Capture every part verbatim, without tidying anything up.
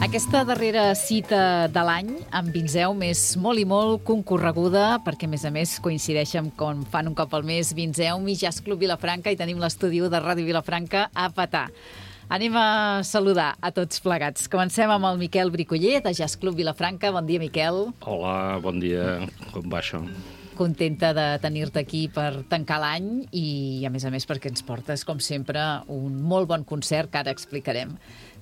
Aquesta darrera cita de l'any amb Vinzeum és molt i molt concorreguda perquè, a més a més, coincideix amb com fan un cop al mes Vinzeum i Jazz Club Vilafranca i tenim l'estudi de Ràdio Vilafranca a petar. Anem a saludar a tots plegats. Comencem amb el Miquel Bricoller, de Jazz Club Vilafranca. Bon dia, Miquel. Hola, bon dia. Com va això? Contenta de tenir-te aquí per tancar l'any i, a més a més, perquè ens portes, com sempre, un molt bon concert que ara explicarem.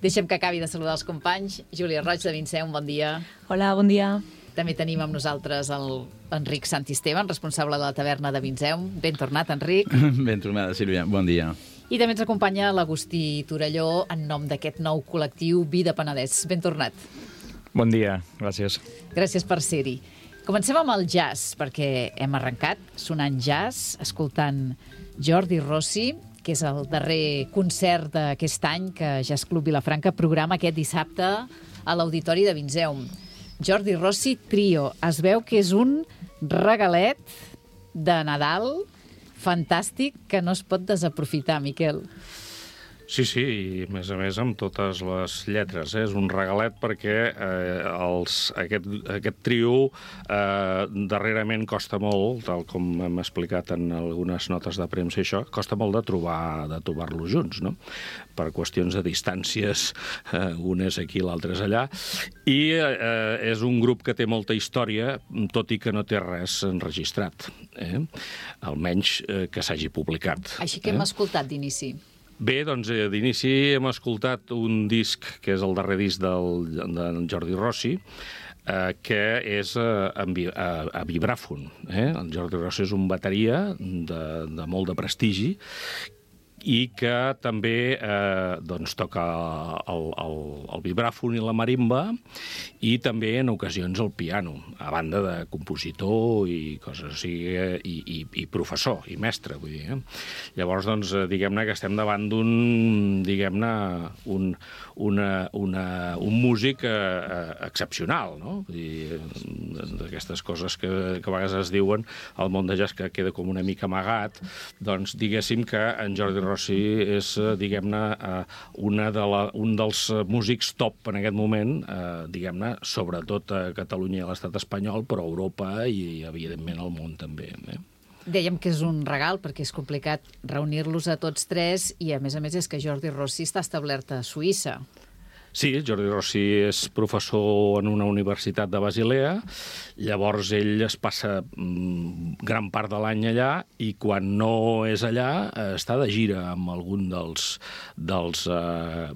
Deixem que acabi de saludar els companys. Júlia Roig, de Vinzeum, bon dia. Hola, bon dia. També tenim amb nosaltres l'Enric Santisteban, responsable de la taverna de Vinzeum. Ben tornat, Enric. Ben tornada, Sílvia. Bon dia. I també ens acompanya l'Agustí Torelló en nom d'aquest nou col·lectiu Vida Penedès. Ben tornat. Bon dia, gràcies. Gràcies per ser-hi. Comencem amb el jazz, perquè hem arrencat sonant jazz, escoltant Jordi Rossi, que és el darrer concert d'aquest any que Jazz Club Vilafranca programa aquest dissabte a l'Auditori de Vinzeum. Jordi Rossi Trio. Es veu que és un regalet de Nadal fantàstic que no es pot desaprofitar, Miquel. Sí, sí, i a més a més amb totes les lletres. Eh? És un regalet perquè eh, els, aquest, aquest trio eh, darrerament costa molt, tal com hem explicat en algunes notes de premsa i això, costa molt de trobar de trobar-los junts, no? Per qüestions de distàncies, eh, un és aquí, l'altre és allà, i eh, és un grup que té molta història, tot i que no té res enregistrat, eh? Almenys eh, que s'hagi publicat. Així que eh? hem escoltat d'inici. Bé, doncs, d'inici hem escoltat un disc, que és el darrer disc del, del Jordi Rossi, eh, que és eh, a, a, a vibràfon. Eh? El Jordi Rossi és un bateria de, de molt de prestigi, i que també eh, doncs, toca el, el, el vibràfon i la marimba i també en ocasions el piano, a banda de compositor i coses així, i, i, i professor, i mestre, vull dir. Eh? Llavors, doncs, diguem-ne que estem davant d'un, diguem-ne, un, una, una, un músic eh, excepcional, no? Vull dir, d'aquestes coses que, que a vegades es diuen al món de jazz que queda com una mica amagat, doncs diguéssim que en Jordi Rossi és, diguem-ne, una de la, un dels músics top en aquest moment, eh, diguem-ne, sobretot a Catalunya i a l'estat espanyol, però a Europa i, evidentment, al món també. Eh? Dèiem que és un regal perquè és complicat reunir-los a tots tres i, a més a més, és que Jordi Rossi està establert a Suïssa. Sí, Jordi Rossi és professor en una universitat de Basilea, llavors ell es passa gran part de l'any allà i quan no és allà està de gira amb algun dels, dels, eh,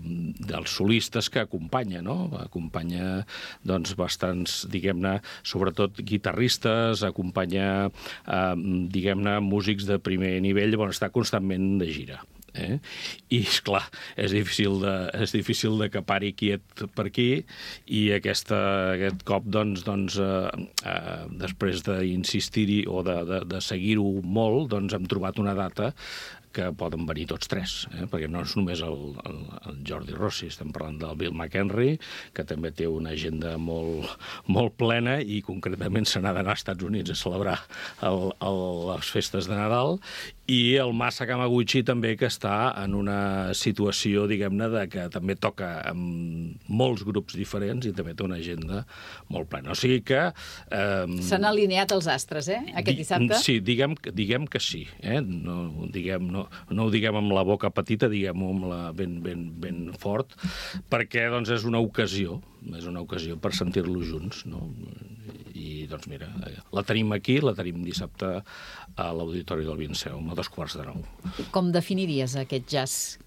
dels solistes que acompanya, no? Acompanya doncs, bastants, diguem-ne, sobretot guitarristes, acompanya, eh, diguem-ne, músics de primer nivell, bueno, està constantment de gira. Eh? I, esclar, és difícil de, és difícil de que pari quiet per aquí i aquesta, aquest cop, doncs, doncs eh, eh, després d'insistir-hi o de, de, de seguir-ho molt, doncs hem trobat una data que poden venir tots tres, eh? Perquè no és només el, el, el Jordi Rossi, estem parlant del Bill McHenry, que també té una agenda molt, molt plena i concretament se n'ha d'anar als Estats Units a celebrar el, el, les festes de Nadal, i el Masa Kamaguchi també, que està en una situació, diguem-ne, de que també toca amb molts grups diferents i també té una agenda molt plena. O sigui que... Eh, S'han alineat els astres, eh, aquest dissabte? Sí, diguem, diguem que sí. Eh? No, diguem, no, no ho diguem amb la boca petita, diguem-ho amb la ben, ben, ben fort, perquè doncs, és una ocasió, és una ocasió per sentir-los junts, no? I, doncs, mira, la tenim aquí, la tenim dissabte a l'Auditori del Vinceum, a dos quarts de nou. Com definiries aquest jazz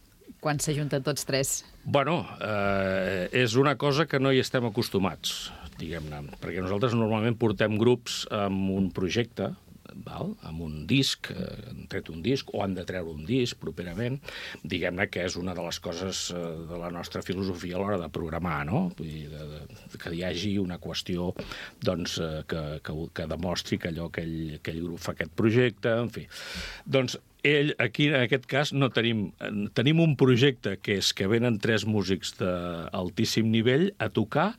quan s'ajunten tots tres? Bueno, eh, és una cosa que no hi estem acostumats, diguem-ne, perquè nosaltres normalment portem grups amb un projecte, val? Amb un disc, eh, han tret un disc, o han de treure un disc properament, diguem-ne que és una de les coses eh, de la nostra filosofia a l'hora de programar, no? Vull dir, de, de, que hi hagi una qüestió doncs, eh, que, que, que demostri que allò, aquell, aquell grup fa aquest projecte, en fi. Doncs ell, aquí, en aquest cas, no tenim... Tenim un projecte que és que venen tres músics d'altíssim nivell a tocar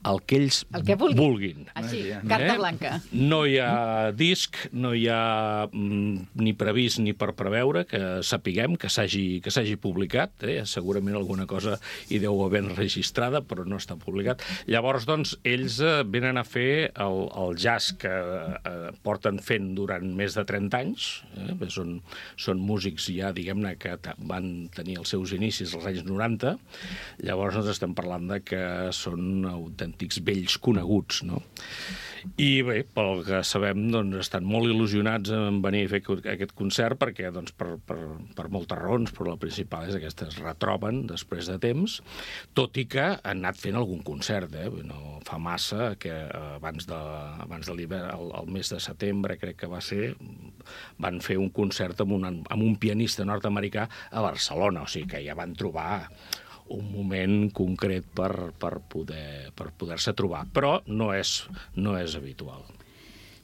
el que ells el que vulguin. vulguin. Així, carta Eh? blanca. No hi ha disc, no hi ha mm, ni previst ni per preveure que sapiguem que s'hagi que s'hagi publicat. Eh? Segurament alguna cosa hi deu haver enregistrada, però no està publicat. Llavors, doncs, ells eh, venen a fer el, el jazz que eh, porten fent durant més de trenta anys. Eh? Són, són músics ja, diguem-ne, que van tenir els seus inicis als anys noranta. Llavors, doncs, estem parlant de que són autèntics antics vells coneguts, no? I bé, pel que sabem, doncs, estan molt il·lusionats en venir a fer aquest concert perquè, doncs, per, per, per moltes raons, però la principal és que es retroben després de temps, tot i que han anat fent algun concert, eh? No fa massa que abans de, abans de l'hivern, el, el mes de setembre, crec que va ser, van fer un concert amb un, amb un pianista nord-americà a Barcelona, o sigui que ja van trobar un moment concret per, per poder, per poder-se trobar, però no és, no és habitual.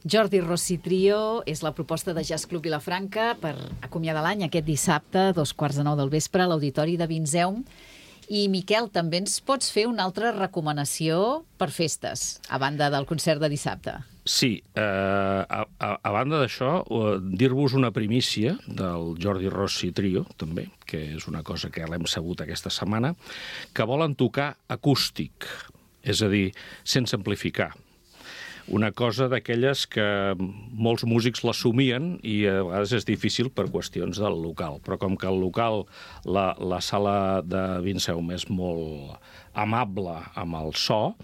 Jordi Rossi Trio és la proposta de Jazz Club Vilafranca per acomiadar l'any aquest dissabte, dos quarts de nou del vespre, a l'Auditori de Vinceum. I, Miquel, també ens pots fer una altra recomanació per festes, a banda del concert de dissabte. Sí, eh, a, a, a banda d'això, eh, dir-vos una primícia del Jordi Rossi Trio, també, que és una cosa que l'hem sabut aquesta setmana, que volen tocar acústic, és a dir, sense amplificar. Una cosa d'aquelles que molts músics l'assumien i a vegades és difícil per qüestions del local. Però com que el local, la, la sala de Vinceum és molt amable amb el so,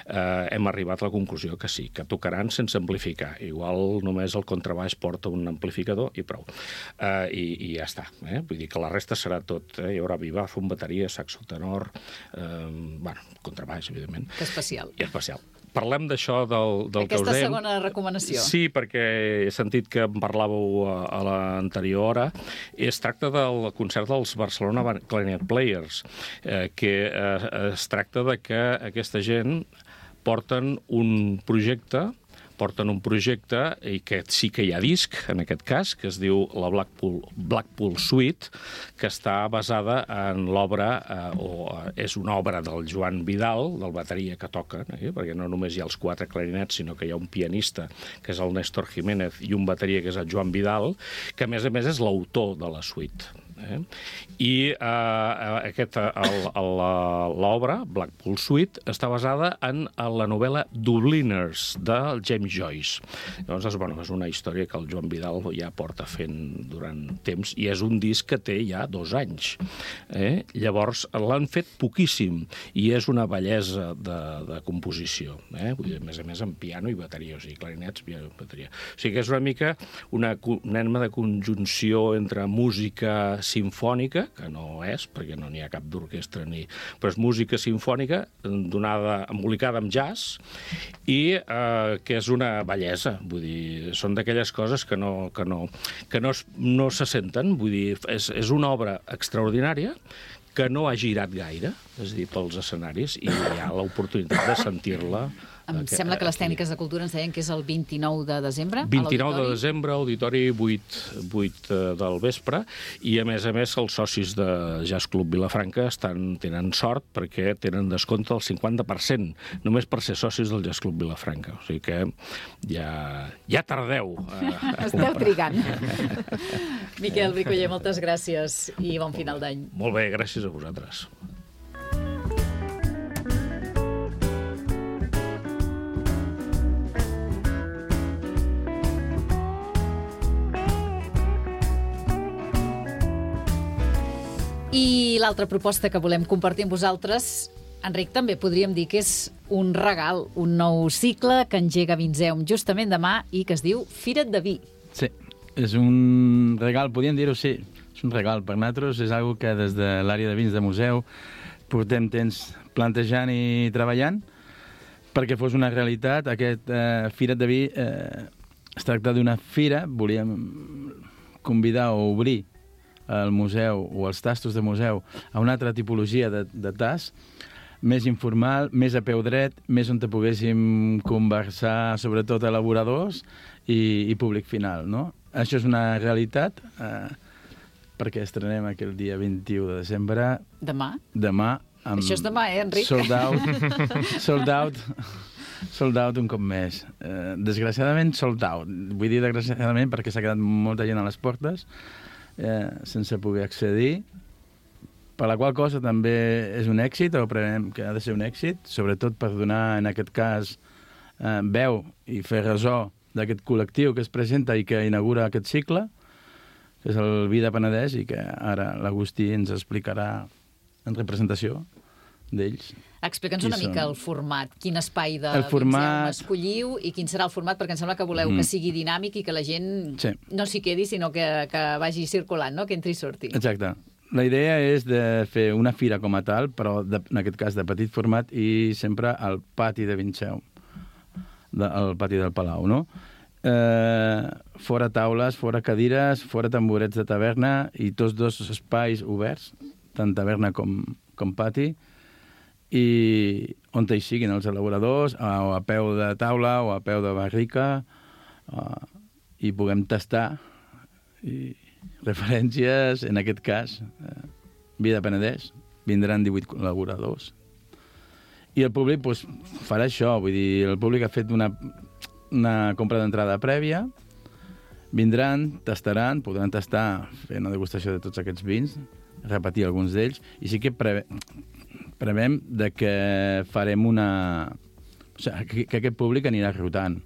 eh, hem arribat a la conclusió que sí, que tocaran sense amplificar. Igual només el contrabaix porta un amplificador i prou. Eh, i, I ja està. Eh? Vull dir que la resta serà tot. Eh? Hi haurà vivàfon, bateria, saxo tenor, eh, bueno, contrabaix, evidentment. Que especial. I especial. Parlem d'això del, del que us Aquesta dèiem. segona recomanació. Sí, perquè he sentit que en parlàveu a, a l'anterior hora. Es tracta del concert dels Barcelona Clarinet Players, eh, que eh, es tracta de que aquesta gent porten un projecte porten un projecte i que sí que hi ha disc, en aquest cas, que es diu la Blackpool, Blackpool Suite, que està basada en l'obra, eh, o és una obra del Joan Vidal, del bateria que toca, eh, perquè no només hi ha els quatre clarinets, sinó que hi ha un pianista, que és el Néstor Jiménez, i un bateria, que és el Joan Vidal, que a més a més és l'autor de la suite. Eh? I eh, aquest, l'obra, Blackpool Suite, està basada en la novel·la Dubliners, del James Joyce. Llavors, bueno, és una història que el Joan Vidal ja porta fent durant temps, i és un disc que té ja dos anys. Eh? Llavors, l'han fet poquíssim, i és una bellesa de, de composició. Eh? Vull dir, a més a més, amb piano i bateria, o sigui, clarinets, piano i bateria. O sigui que és una mica una mena de conjunció entre música simfònica, que no és, perquè no n'hi ha cap d'orquestra, ni... però és música simfònica donada, embolicada amb jazz, i eh, que és una bellesa, vull dir, són d'aquelles coses que no, que no, que no, es, no se senten, vull dir, és, és una obra extraordinària que no ha girat gaire, és a dir, pels escenaris, i hi ha l'oportunitat de sentir-la. Em Aquest, sembla que les aquí. Tècniques de Cultura ens deien que és el vint-i-nou de desembre. vint-i-nou de desembre, auditori vuit, vuit del vespre, i a més a més els socis de Jazz Club Vilafranca estan, tenen sort perquè tenen descompte del cinquanta per cent, només per ser socis del Jazz Club Vilafranca. O sigui que ja, ja tardeu a, a Esteu comprar. trigant. Miquel Bricoller, moltes gràcies i bon final d'any. Molt bé, gràcies a vosaltres. I l'altra proposta que volem compartir amb vosaltres, Enric, també podríem dir que és un regal, un nou cicle que engega Vinzeum justament demà i que es diu Fira't de Vi. Sí, és un regal, podríem dir-ho, sí, és un regal per nosaltres, és una que des de l'àrea de vins de museu portem temps plantejant i treballant perquè fos una realitat. Aquest eh, Fira't de Vi eh, es tracta d'una fira, volíem convidar o obrir al museu o als tastos de museu a una altra tipologia de, de tas, més informal, més a peu dret, més on te poguéssim conversar sobretot elaboradors i, i públic final, no? Això és una realitat eh, perquè estrenem aquell dia vint-i-u de desembre. Demà? Demà. Amb Això és demà, eh, Enric? Sold out. Sold out. Sold out un cop més. Eh, desgraciadament, sold out. Vull dir desgraciadament perquè s'ha quedat molta gent a les portes eh, sense poder accedir, per la qual cosa també és un èxit, o preveiem que ha de ser un èxit, sobretot per donar, en aquest cas, eh, veu i fer ressò d'aquest col·lectiu que es presenta i que inaugura aquest cicle, que és el Vi de Penedès, i que ara l'Agustí ens explicarà en representació d'ells. Explica'ns una Qui mica són? el format, quin espai de El format- Vinzeum escolliu i quin serà el format, perquè em sembla que voleu Mm. que sigui dinàmic i que la gent Sí. no s'hi quedi, sinó que, que vagi circulant, no? Que entri i surti. Exacte. La idea és de fer una fira com a tal, però de, en aquest cas de petit format i sempre al pati de Vinzeum, de, al pati del Palau, no? Eh, fora taules, fora cadires, fora tamborets de taverna i tots dos espais oberts, tant taverna com, com pati, i on hi siguin els elaboradors, a, o a peu de taula o a peu de barrica, uh, i puguem tastar i referències, en aquest cas, eh, Vi de Penedès, vindran divuit col·laboradors. I el públic pues, farà això, vull dir, el públic ha fet una, una compra d'entrada prèvia, vindran, tastaran, podran tastar, fer una degustació de tots aquests vins, repetir alguns d'ells, i sí que preve, prevem de que farem una... O sigui, que, que aquest públic anirà rotant.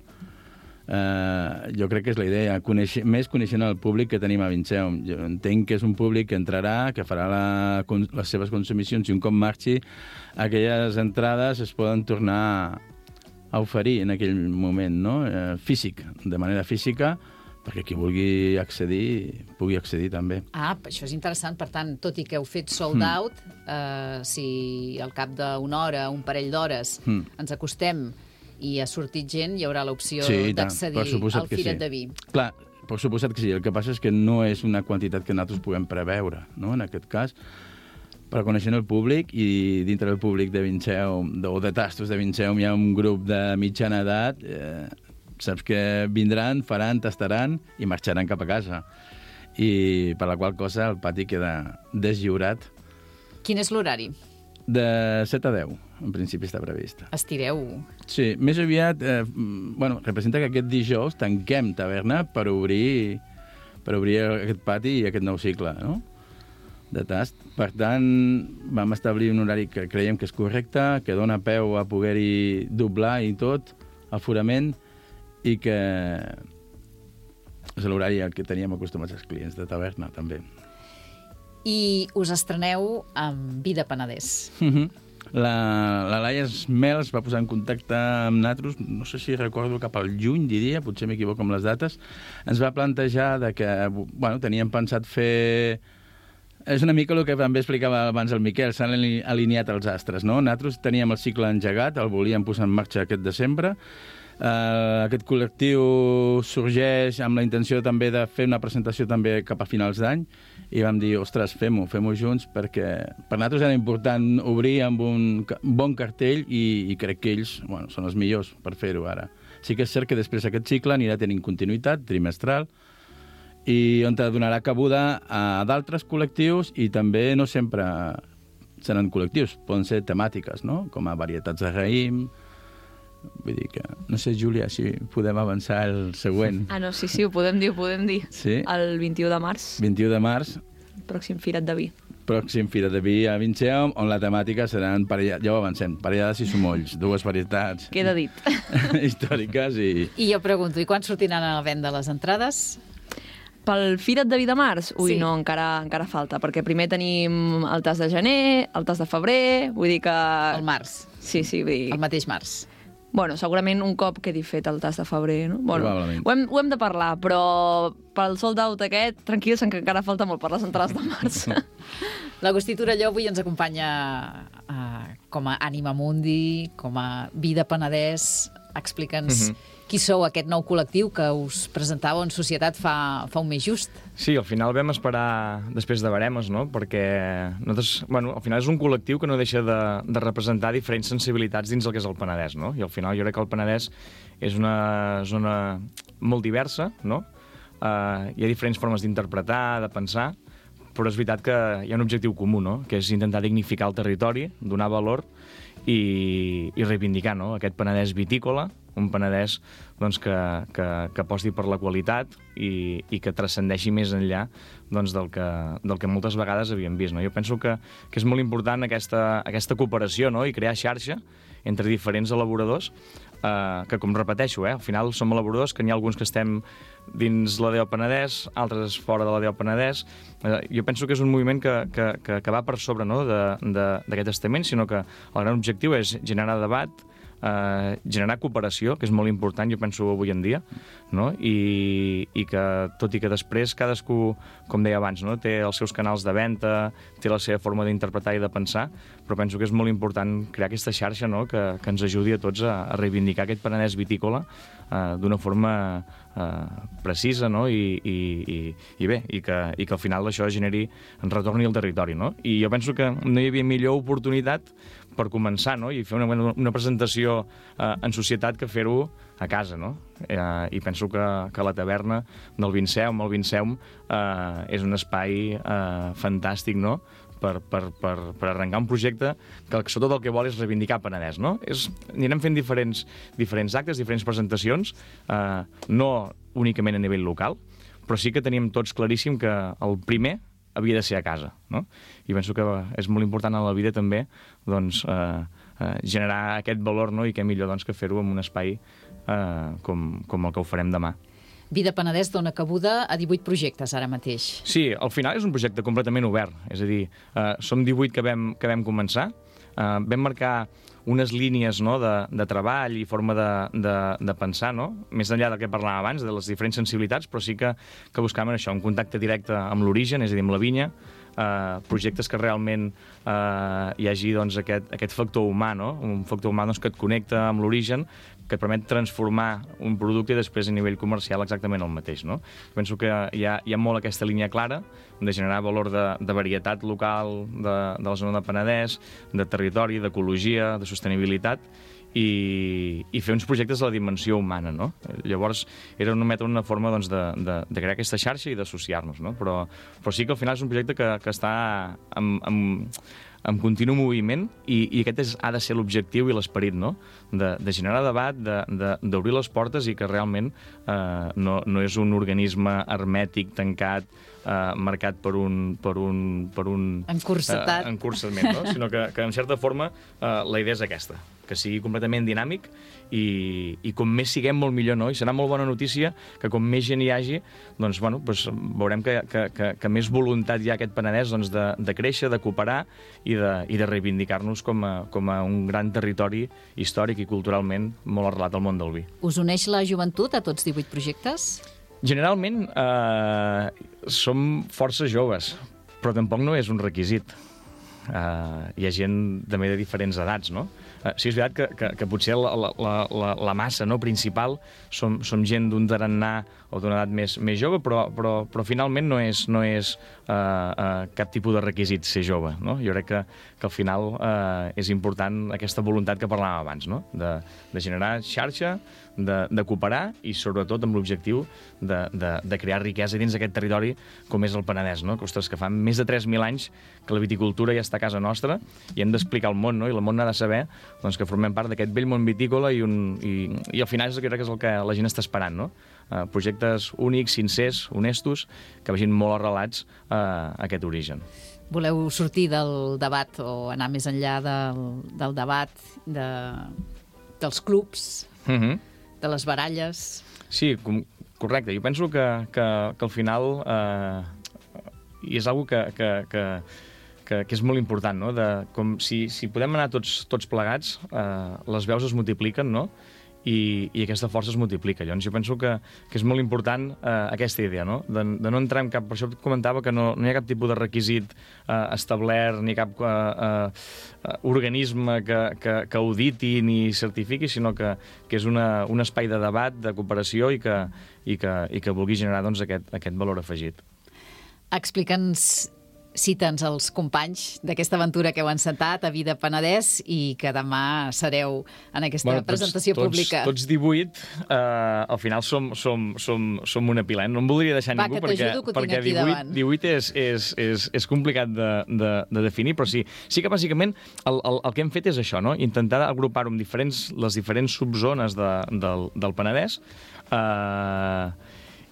Uh, jo crec que és la idea, conèixer, més coneixent el públic que tenim a Vinzeum. Jo entenc que és un públic que entrarà, que farà la, les seves consumicions, i un cop marxi, aquelles entrades es poden tornar a oferir en aquell moment, no? Uh, físic, de manera física, perquè qui vulgui accedir, pugui accedir també. Ah, això és interessant. Per tant, tot i que heu fet sold out, eh, si al cap d'una hora, un parell d'hores, Mm. ens acostem i ha sortit gent, hi haurà l'opció Sí, i tant, d'accedir per suposat al que Fira't sí. de Vi. Clar, per suposat que sí. El que passa és que no és una quantitat que nosaltres puguem preveure, no?, en aquest cas. Però coneixent el públic, i dintre del públic de Vinzeum, o de tastos de Vinzeum, hi ha un grup de mitjana edat, eh, saps que vindran, faran, tastaran i marxaran cap a casa. I per la qual cosa el pati queda deslliurat. Quin és l'horari? De set a deu, en principi està previst. Estireu. Sí, més aviat, eh, bueno, representa que aquest dijous tanquem taverna per obrir, per obrir aquest pati i aquest nou cicle, no?, de tast. Per tant, vam establir un horari que creiem que és correcte, que dona peu a poder-hi doblar i tot, aforament, i que és l'horari al que teníem acostumats els clients de taverna, també. I us estreneu amb Vi de Penedès. Mhm. La, la Laia Esmel es va posar en contacte amb nosaltres, no sé si recordo cap al juny, diria, potser m'equivoco amb les dates. Ens va plantejar de que, bueno, teníem pensat fer... És una mica el que també explicava abans el Miquel, s'han alineat els astres, no? Nosaltres teníem el cicle engegat, el volíem posar en marxa aquest desembre, Uh, aquest col·lectiu sorgeix amb la intenció també de fer una presentació també cap a finals d'any i vam dir, ostres, fem-ho, fem-ho junts perquè per nosaltres era important obrir amb un bon cartell i, i crec que ells bueno, són els millors per fer-ho ara. Sí que és cert que després aquest cicle anirà tenint continuïtat trimestral i on donarà cabuda a d'altres col·lectius i també no sempre seran col·lectius, poden ser temàtiques, no? Com a varietats de raïm. Vull dir que... No sé, Júlia, si podem avançar el següent. Ah, no, sí, sí, ho podem dir, ho podem dir. Sí? El vint-i-u de març. vint-i-u de març. Pròxim Firat de Vi. Pròxim Firat de Vi a Vinceum, on la temàtica seran, parella... ja ho avancem, parellades i somolls, dues varietats... Queda dit. ...històriques i... I jo pregunto, i quan sortiran a la venda les entrades? Pel Firat de Vi de març? Ui, Sí. no, encara, encara falta, perquè primer tenim el tas de gener, el tas de febrer, vull dir que... Al març, Sí, sí, vull dir... el mateix març. Bueno, segurament un cop quedi fet el tas de febrer, no? Bueno, Probablement. ho hem, ho hem de parlar, però pel sold out aquest, tranquils, que encara falta molt per les entrades de març. L'Agustí Torelló avui ens acompanya uh, com a Ànima Mundi, com a Vida Penedès. Explica'ns Mhm. qui sou aquest nou col·lectiu que us presentàveu en societat fa, fa un mes just. Sí, al final vam esperar després de Baremes, no? Perquè nosaltres, bueno, al final és un col·lectiu que no deixa de, de representar diferents sensibilitats dins el que és el Penedès, no? I al final jo crec que el Penedès és una zona molt diversa, no? Uh, hi ha diferents formes d'interpretar, de pensar, però és veritat que hi ha un objectiu comú, no? Que és intentar dignificar el territori, donar valor i, i reivindicar, no? Aquest Penedès vitícola, un Penedès doncs, que, que, que aposti per la qualitat i, i que transcendeixi més enllà doncs, del, que, del que moltes vegades havíem vist. No? Jo penso que, que és molt important aquesta, aquesta cooperació, no? I crear xarxa entre diferents elaboradors, eh, que, com repeteixo, eh, al final som elaboradors, que n'hi ha alguns que estem dins la D O Penedès, altres fora de la D O Penedès. Eh, jo penso que és un moviment que, que, que, que va per sobre, no? d'aquest estament, sinó que el gran objectiu és generar debat, Uh, generar cooperació, que és molt important, jo penso, avui en dia, no? I, i que, tot i que després cadascú, com deia abans, no? Té els seus canals de venda, té la seva forma d'interpretar i de pensar, però penso que és molt important crear aquesta xarxa, no? que, que ens ajudi a tots a, a reivindicar aquest Penedès vitícola uh, d'una forma uh, precisa, no? I, i, i, i bé, i que, i que al final això generi, retorni al territori, no? I jo penso que no hi havia millor oportunitat per començar, no? I fer una, una presentació eh, en societat que fer-ho a casa, no? Eh, I penso que, que la taverna del Vinceum, el Vinceum, eh, és un espai eh, fantàstic, no?, per, per, per, per arrencar un projecte que sobretot el que vol és reivindicar Penedès, no? És, anirem fent diferents, diferents actes, diferents presentacions, eh, no únicament a nivell local, però sí que teníem tots claríssim que el primer havia de ser a casa, no? I penso que és molt important a la vida també doncs, eh, eh, generar aquest valor, no? I què millor doncs, que fer-ho en un espai eh, com, com el que ho farem demà. Vida Penedès dona cabuda a divuit projectes ara mateix. Sí, al final és un projecte completament obert, és a dir, eh, som divuit que vam, que vam començar, eh, vam marcar unes línies, no?, de, de treball i forma de, de, de pensar, no?, més enllà del que parlàvem abans, de les diferents sensibilitats, però sí que, que buscàvem això, un contacte directe amb l'origen, és a dir, amb la vinya, eh, projectes que realment eh, hi hagi doncs, aquest, aquest factor humà, no?, un factor humà doncs, que et connecta amb l'origen, que et permet transformar un producte i després a nivell comercial exactament el mateix, no? Penso que hi ha, hi ha molt aquesta línia clara de generar valor de, de varietat local de, de la zona de Penedès, de territori, d'ecologia, de sostenibilitat, i, i fer uns projectes de la dimensió humana, no? Llavors, era una meta, una forma doncs, de, de, de crear aquesta xarxa i d'associar-nos, no? Però, però sí que al final és un projecte que, que està amb, amb, en continu moviment i, i aquest és, ha de ser l'objectiu i l'esperit, no? De, de generar debat, d'obrir de, les portes i que realment eh, no, no és un organisme hermètic, tancat, eh, marcat per un... Per un, per un Encursetat. Eh, encursament, no? Sinó que, que en certa forma eh, la idea és aquesta, que sigui completament dinàmic i, i com més siguem molt millor, no? I serà molt bona notícia que com més gent hi hagi, doncs, bueno, doncs veurem que, que, que, que més voluntat hi ha aquest Penedès doncs, de, de créixer, de cooperar i de, i de reivindicar-nos com a, com a un gran territori històric i culturalment molt arrelat al món del vi. Us uneix la joventut a tots divuit projectes? Generalment eh, som força joves, però tampoc no és un requisit. uh, hi ha gent també de diferents edats, no? Uh, sí, és veritat que, que, que potser la, la, la, la massa, no, principal som, som gent d'un tarannà o d'una edat més, més jove, però, però, però finalment no és, no és uh, uh, cap tipus de requisit ser jove, no? Jo crec que, que al final uh, és important aquesta voluntat que parlàvem abans, no? De, de generar xarxa, de, de cooperar i sobretot amb l'objectiu de, de, de crear riquesa dins d'aquest territori com és el Penedès, no? Que, ostres, que fa més de tres mil anys que la viticultura ja està a casa nostra i hem d'explicar al món, no? I el món ha de saber, doncs, que formem part d'aquest vell món vitícola i, un, i, i al final és, crec que és el que la gent està esperant, no? Uh, projectes únics, sincers, honestos, que vagin molt arrelats uh, a aquest origen. Voleu sortir del debat o anar més enllà del, del debat de, dels clubs, Uh -huh. de les baralles? Sí, com, correcte. Jo penso que, que, que al final eh, i és una que, que, que, que, que és molt important, no? De, com si, si podem anar tots, tots plegats, eh, les veus es multipliquen, no? I, i aquesta força es multiplica. Llavors jo penso que, que és molt important eh, aquesta idea, no? De, de no entrar en cap... Per això et comentava que no, no hi ha cap tipus de requisit eh, establert, ni cap eh, eh, organisme que, que, que auditi ni certifiqui, sinó que, que és una, un espai de debat, de cooperació i que, i que, i que vulgui generar, doncs, aquest, aquest valor afegit. Explica'ns, cita'ns els companys d'aquesta aventura que heu encetat a Vida Penedès i que demà sereu en aquesta bueno, tots, presentació tots, pública. Tots divuit, eh, al final som, som, som, som una pila. Eh? No em voldria deixar Va, ningú que perquè, que perquè divuit, divuit és, és, és, és complicat de, de, de definir, però sí, sí que bàsicament el, el, el que hem fet és això, no? Intentar agrupar-ho amb diferents, les diferents subzones de, del, del Penedès, eh,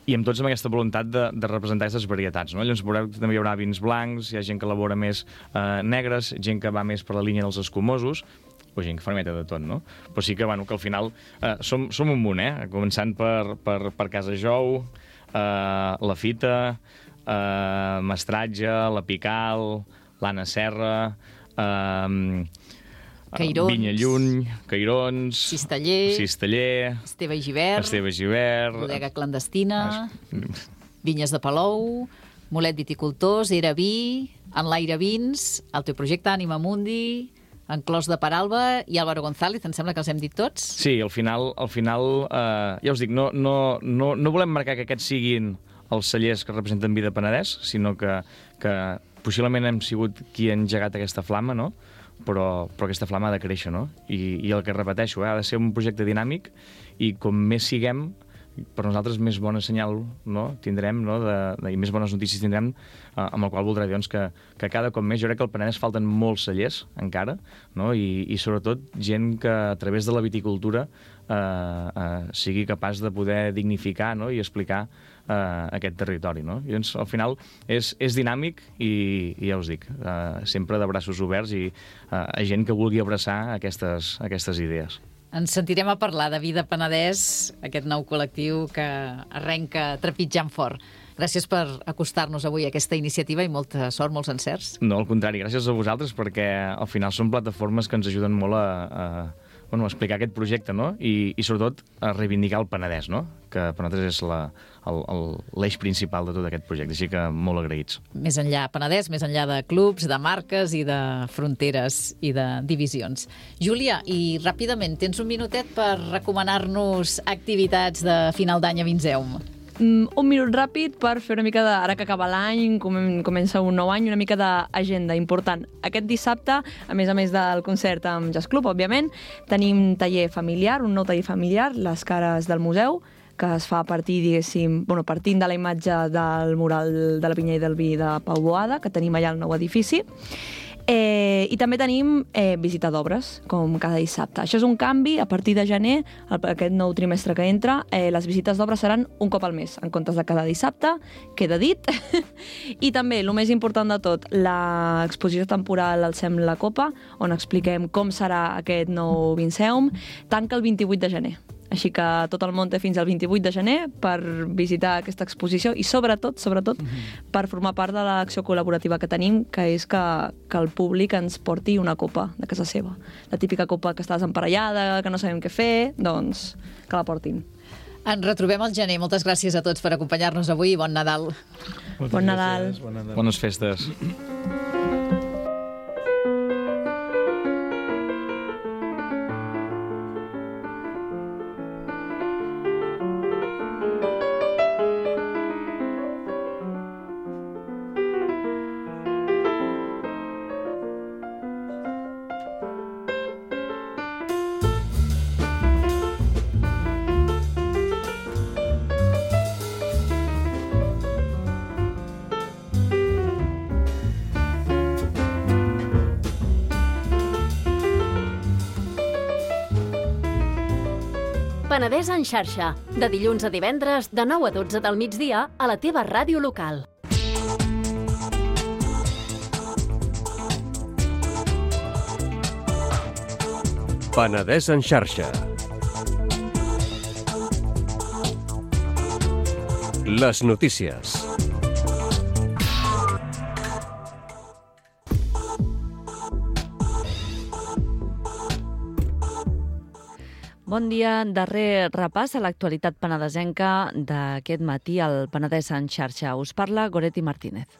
i amb tots amb aquesta voluntat de, de representar aquestes varietats, no? Llavors veureu que també hi haurà vins blancs, hi ha gent que elabora més eh, negres, gent que va més per la línia dels escumosos, o gent que fa una mica de tot, no? Però sí que, bueno, que al final eh, som, som un munt, eh? Començant per, per, per Casa Jou, eh, la Fita, eh, Mestratge, la Pical, l'Anna Serra, eh, Cairons, Vinya Lluny, Cairons, Cisteller, Cisteller, Esteve i Givert, Esteve Givert, Bodega Clandestina, Vinyes de Palou, Molet Viticultors, Era Vi, Enlaire Vins, el teu projecte Ànima Mundi, Enclòs de Peralba i Álvaro González, em sembla que els hem dit tots? Sí, al final, al final eh, ja us dic, no, no, no, no volem marcar que aquests siguin els cellers que representen Vida Penedès, sinó que, que possiblement hem sigut qui ha engegat aquesta flama, no? Però, però aquesta flama ha de créixer, no? I, i el que repeteixo, eh, ha de ser un projecte dinàmic i com més siguem, per nosaltres més bon senyal, no? Tindrem, no? De, de, i més bones notícies tindrem, eh, amb el qual voldrà dir doncs, que, que cada cop més, jo crec que al Penedès falten molts cellers, encara, no? I, i sobretot gent que a través de la viticultura eh, eh, sigui capaç de poder dignificar, no? I explicar Uh, aquest territori, no? I doncs, al final és, és dinàmic i, i ja us dic, uh, sempre de braços oberts i uh, a gent que vulgui abraçar aquestes, aquestes idees. Ens sentirem a parlar de Vida Penedès, aquest nou col·lectiu que arrenca trepitjant fort. Gràcies per acostar-nos avui a aquesta iniciativa i molta sort, molts encerts. No, al contrari, gràcies a vosaltres perquè al final són plataformes que ens ajuden molt a, a bueno, a explicar aquest projecte, no? I, i sobretot a reivindicar el Penedès, no? Que per nosaltres és la, l'eix principal de tot aquest projecte, així que molt agraïts. Més enllà Penedès, més enllà de clubs, de marques i de fronteres i de divisions. Júlia, i ràpidament, tens un minutet per recomanar-nos activitats de final d'any a Vinseum? Mm, un minut ràpid per fer una mica de... Ara que acaba l'any, comença un nou any, una mica d'agenda important. Aquest dissabte, a més a més del concert amb Jazz Club, òbviament, tenim taller familiar, un nou taller familiar, Les cares del museu, que es fa a partir, diguéssim, bueno, partint de la imatge del mural de la Vinya i del Vi de Pau Boada, que tenim allà al nou edifici. Eh, I també tenim eh, visita d'obres, com cada dissabte. Això és un canvi, a partir de gener, el, aquest nou trimestre que entra, eh, les visites d'obres seran un cop al mes, en comptes de cada dissabte, queda dit. I també, el més important de tot, l'exposició temporal al Sem la Copa, on expliquem com serà aquest nou Vinseum, tanca el vint-i-vuit de gener. Així que tot el món té fins al vint-i-vuit de gener per visitar aquesta exposició i sobretot, sobretot, mm-hmm. per formar part de l'acció col·laborativa que tenim, que és que, que el públic ens porti una copa de casa seva. La típica copa que estàs emparellada, que no sabem què fer, doncs que la portin. Ens retrobem al gener. Moltes gràcies a tots per acompanyar-nos avui i bon Nadal. Bon Nadal. Bon Nadal. Bones festes. Penedès en xarxa, de dilluns a divendres, de nou a dotze del migdia, a la teva ràdio local. Penedès en xarxa. Les notícies. Bon dia. Darrer repàs a l'actualitat penedesenca d'aquest matí al Penedès en xarxa. Us parla Goretti Martínez.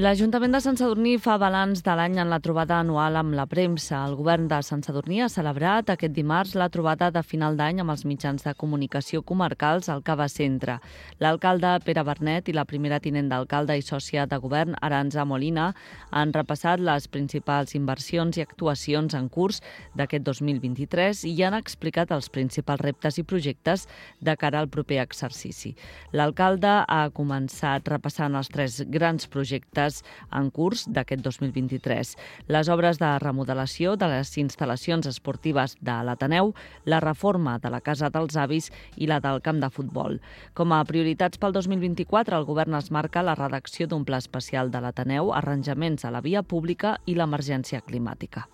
L'Ajuntament de Sant Sadurní fa balanç de l'any en la trobada anual amb la premsa. El govern de Sant Sadurní ha celebrat aquest dimarts la trobada de final d'any amb els mitjans de comunicació comarcals al Cava Centre. L'alcalde Pere Bernet i la primera tinent d'alcalde i sòcia de govern, Arantxa Molina, han repassat les principals inversions i actuacions en curs d'aquest dos mil vint-i-tres i han explicat els principals reptes i projectes de cara al proper exercici. L'alcalde ha començat repassant els tres grans projectes en curs d'aquest dos mil vint-i-tres. Les obres de remodelació de les instal·lacions esportives de l'Ateneu, la reforma de la Casa dels Avis i la del camp de futbol. Com a prioritats pel dos mil vint-i-quatre, el govern es marca la redacció d'un pla especial de l'Ateneu, arranjaments a la via pública i l'emergència climàtica.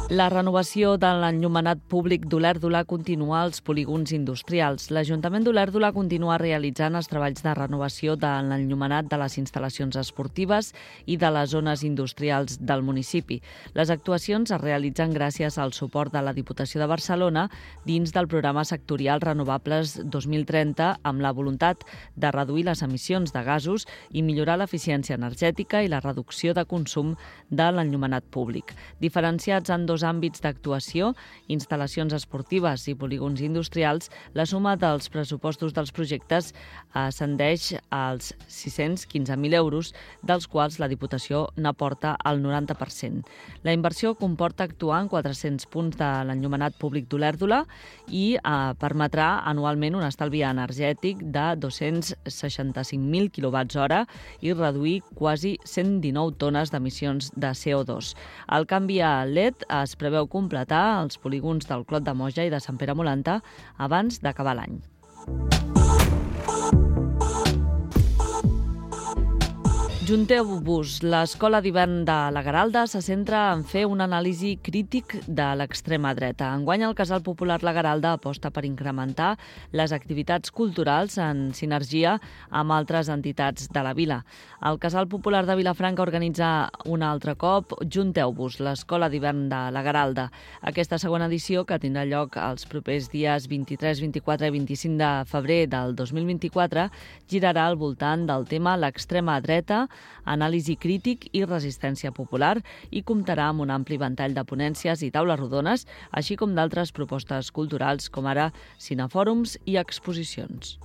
La renovació de l'enllumenat públic d'Olèrdola continua als polígons industrials. L'Ajuntament d'Olèrdola continua realitzant els treballs de renovació de l'enllumenat de les instal·lacions esportives i de les zones industrials del municipi. Les actuacions es realitzen gràcies al suport de la Diputació de Barcelona dins del programa sectorial Renovables dos mil trenta amb la voluntat de reduir les emissions de gasos i millorar l'eficiència energètica i la reducció de consum de l'enllumenat públic. Diferenciats en dos àmbits d'actuació, instal·lacions esportives i polígons industrials, la suma dels pressupostos dels projectes ascendeix als sis-cents quinze mil euros, dels quals la Diputació n'aporta el noranta per cent. La inversió comporta actuar en quatre-cents punts de l'enllumenat públic d'Olèrdola i eh, permetrà anualment un estalvi energètic de dos-cents seixanta-cinc mil quilowatts hora i reduir quasi cent dinou tones d'emissions de C O dos. El canvi a L E D es es preveu completar els polígons del Clot de Moja i de Sant Pere Molanta abans d'acabar l'any. Junteu-vos. L'escola d'hivern de la Garalda se centra en fer un anàlisi crític de l'extrema dreta. Enguany, el Casal Popular La Garalda aposta per incrementar les activitats culturals en sinergia amb altres entitats de la vila. El Casal Popular de Vilafranca organitza un altre cop Junteu-vos, l'escola d'hivern de la Garalda. Aquesta segona edició, que tindrà lloc els propers dies vint-i-tres, vint-i-quatre i vint-i-cinc de febrer del dos mil vint-i-quatre, girarà al voltant del tema l'extrema dreta, anàlisi crític i resistència popular i comptarà amb un ampli ventall de ponències i taules rodones, així com d'altres propostes culturals com ara cinefòrums i exposicions.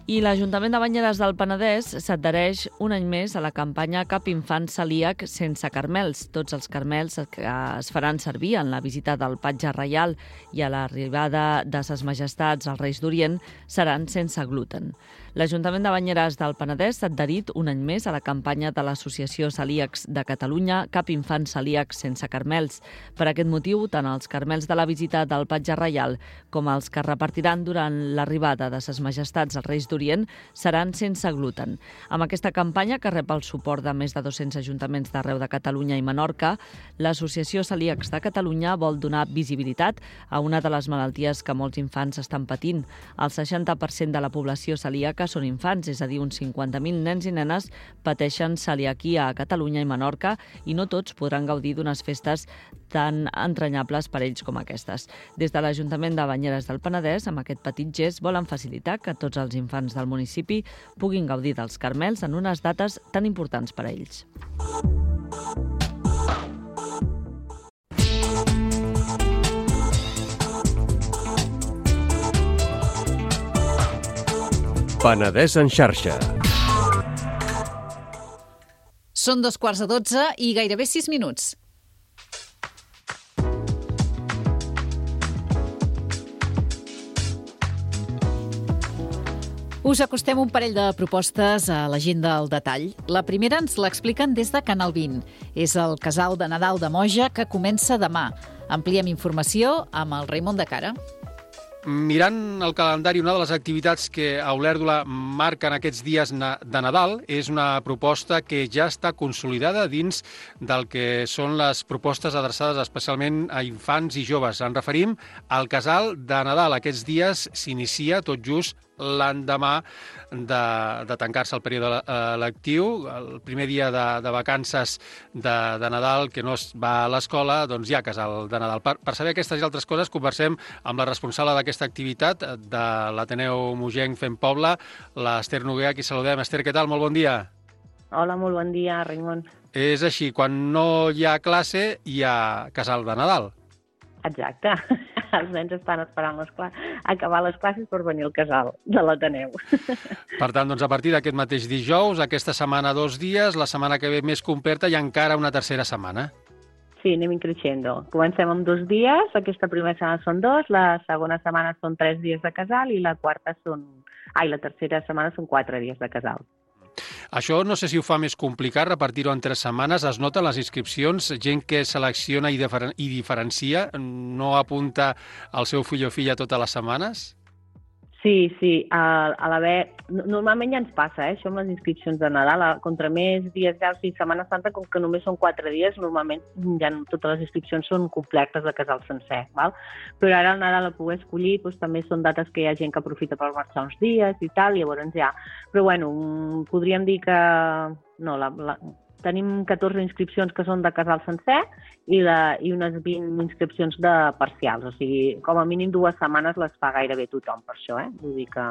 I l'Ajuntament de Banyeres del Penedès s'adhereix un any més a la campanya Cap infant celíac sense carmels. Tots els carmels que es faran servir en la visita del Patge Reial i a l'arribada de Ses Majestats als Reis d'Orient seran sense gluten. L'Ajuntament de Banyeres del Penedès s'ha adherit un any més a la campanya de l'Associació Celíacs de Catalunya Cap infant celíac sense carmels. Per aquest motiu, tant els carmels de la visita del Patge Reial com els que repartiran durant l'arribada de Ses Majestats als Reis d'Orient seran sense gluten. Amb aquesta campanya, que rep el suport de més de dos-cents ajuntaments d'arreu de Catalunya i Menorca, l'Associació Celíacs de Catalunya vol donar visibilitat a una de les malalties que molts infants estan patint. El seixanta per cent de la població celíaca són infants, és a dir, uns cinquanta mil nens i nenes pateixen celiaquia a Catalunya i Menorca i no tots podran gaudir d'unes festes tan entranyables per ells com aquestes. Des de l'Ajuntament de Banyeres del Penedès, amb aquest petit gest, volen facilitar que tots els infants del municipi puguin gaudir dels carmels en unes dates tan importants per a ells. Penedès en xarxa. Són dos quarts de dotze i gairebé sis minuts. Us acostem un parell de propostes a l'agenda al detall. La primera ens l'expliquen des de Canal vint. És el Casal de Nadal de Moja, que comença demà. Ampliem informació amb el Raimon de Cara. Mirant el calendari, una de les activitats que a Olèrdola marquen aquests dies de Nadal és una proposta que ja està consolidada dins del que són les propostes adreçades especialment a infants i joves. Ens referim al Casal de Nadal. Aquests dies s'inicia tot just l'endemà de, de tancar-se el període lectiu. El primer dia de, de vacances de, de Nadal, que no es va a l'escola, doncs hi ha Casal de Nadal. Per, per saber aquestes i altres coses, conversem amb la responsable d'aquesta activitat de l'Ateneu Mogenc Fem Poble, l'Ester Noguer, a qui saludem. Ester, què tal? Molt bon dia. Hola, molt bon dia, Raimon. És així, quan no hi ha classe, hi ha Casal de Nadal. Exacte. Els nens estan esperant les classes, acabar les classes per venir al casal de l'Ateneu. Per tant, doncs, a partir d'aquest mateix dijous, aquesta setmana dos dies, la setmana que ve més completa i encara una tercera setmana. Sí, anem increixendo. Comencem amb dos dies, aquesta primera setmana són dos, la segona setmana són tres dies de casal i la quarta són... Ai, la tercera setmana són quatre dies de casal. Això no sé si ho fa més complicat, repartir-ho en tres setmanes. Es noten les inscripcions, gent que selecciona i, diferen i diferencia, no apunta el seu fill o filla totes les setmanes? Sí, sí. A, a l'haver... Normalment ja ens passa, eh, això amb les inscripcions de Nadal. Contra més dies ja, o sigui, Setmana Santa, com que només són quatre dies, normalment ja totes les inscripcions són completes de casal sencer. Val? Però ara al Nadal a poder escollir doncs, també són dates que hi ha gent que aprofita per marxar uns dies i tal, i llavors ja... Però bueno, podríem dir que... No, la, la... Tenim catorze inscripcions que són de casal sencer i, la, i unes vint inscripcions de parcials. O sigui, com a mínim dues setmanes les fa gairebé tothom per això, eh? Vull dir que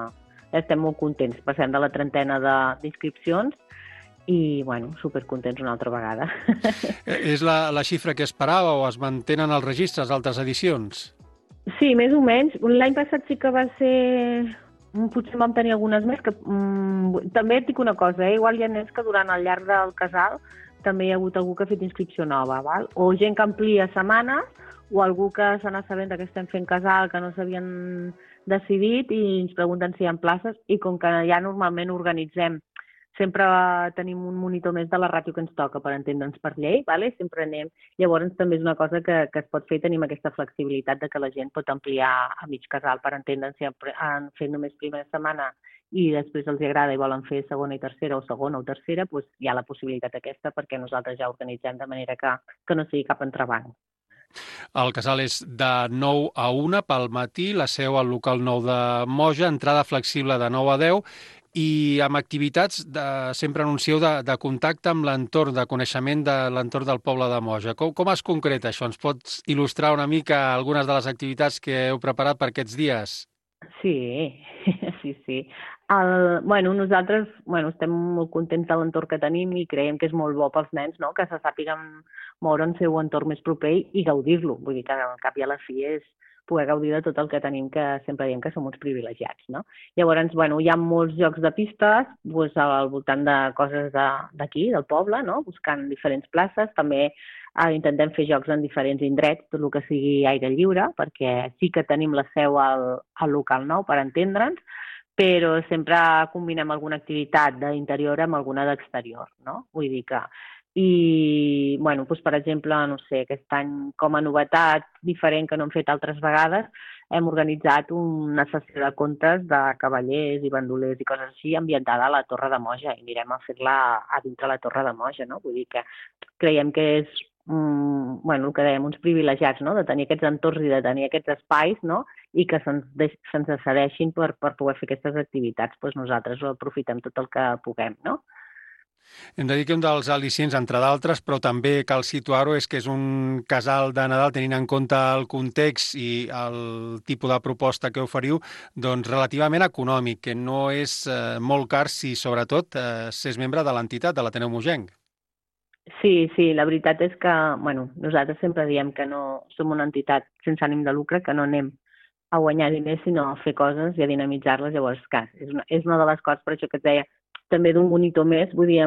estem molt contents. Passem de la trentena d'inscripcions i, bueno, supercontents una altra vegada. És la, la xifra que esperava o es mantenen els registres d'altres edicions? Sí, més o menys. L'any passat sí que va ser... Potser vam tenir algunes més. Que, mm, també et dic una cosa, eh? Igual hi ha nens que durant el llarg del casal també hi ha hagut algú que ha fet inscripció nova, val? O gent que amplia setmanes, o algú que se n'ha sabent que estem fent casal, que no s'havien decidit i ens pregunten si hi ha places, i com que ja normalment organitzem, sempre tenim un monitor més de la ràtio que ens toca per entendre'ns per llei, vale? Sempre anem. Llavors també és una cosa que, que es pot fer, tenim aquesta flexibilitat de que la gent pot ampliar a mig casal per entendre'ns si han fet només primera setmana i després els agrada i volen fer segona i tercera o segona o tercera, doncs hi ha la possibilitat aquesta perquè nosaltres ja organitzem de manera que, que no sigui cap entrebanc. El casal és de nou a una pel matí, la seu al local nou de Moja, entrada flexible de nou a deu, i amb activitats, de, sempre anuncieu, de, de contacte amb l'entorn, de coneixement de l'entorn del poble de Moja. Com, com es concreta això? Ens pots il·lustrar una mica algunes de les activitats que heu preparat per aquests dies? Sí, sí, sí. El, bueno, nosaltres bueno, estem molt contents de l'entorn que tenim i creiem que és molt bo pels nens, no? Que se sàpiguen moure en seu entorn més proper i gaudir-lo. Vull dir que al cap i a la fi és poder gaudir de tot el que tenim, que sempre diem que som uns privilegiats, no? Llavors, bueno, hi ha molts jocs de pistes doncs, al voltant de coses d'aquí, de, del poble, no? Buscant diferents places. També eh, intentem fer jocs en diferents indrets, tot el que sigui aire lliure, perquè sí que tenim la seu al, al local nou, per entendre'ns, però sempre combinem alguna activitat d'interior amb alguna d'exterior, no? Vull dir que... I, bueno, doncs, per exemple, no sé, aquest any com a novetat diferent que no hem fet altres vegades, hem organitzat una sessió de contes de cavallers i bandolers i coses així ambientada a la Torre de Moja i anirem a fer-la a dintre la Torre de Moja, no? Vull dir que creiem que és, mm, bueno, el que dèiem, uns privilegiats, no? De tenir aquests entorns i de tenir aquests espais, no? I que se'ns se cedeixin per, per poder fer aquestes activitats. Doncs nosaltres ho aprofitem tot el que puguem, no? Hem de dir que un dels al·licients, entre d'altres, però també cal situar-ho, és que és un casal de Nadal, tenint en compte el context i el tipus de proposta que oferiu, doncs relativament econòmic, que no és eh, molt car si, sobretot, eh, s'és membre de l'entitat, de l'Ateneu Mogenc. Sí, sí, la veritat és que bueno, nosaltres sempre diem que no som una entitat sense ànim de lucre, que no anem a guanyar diners, sinó a fer coses i a dinamitzar-les. Llavors, clar, és una, és una de les coses, per això que et deia, també d'un monitor més, vull dir,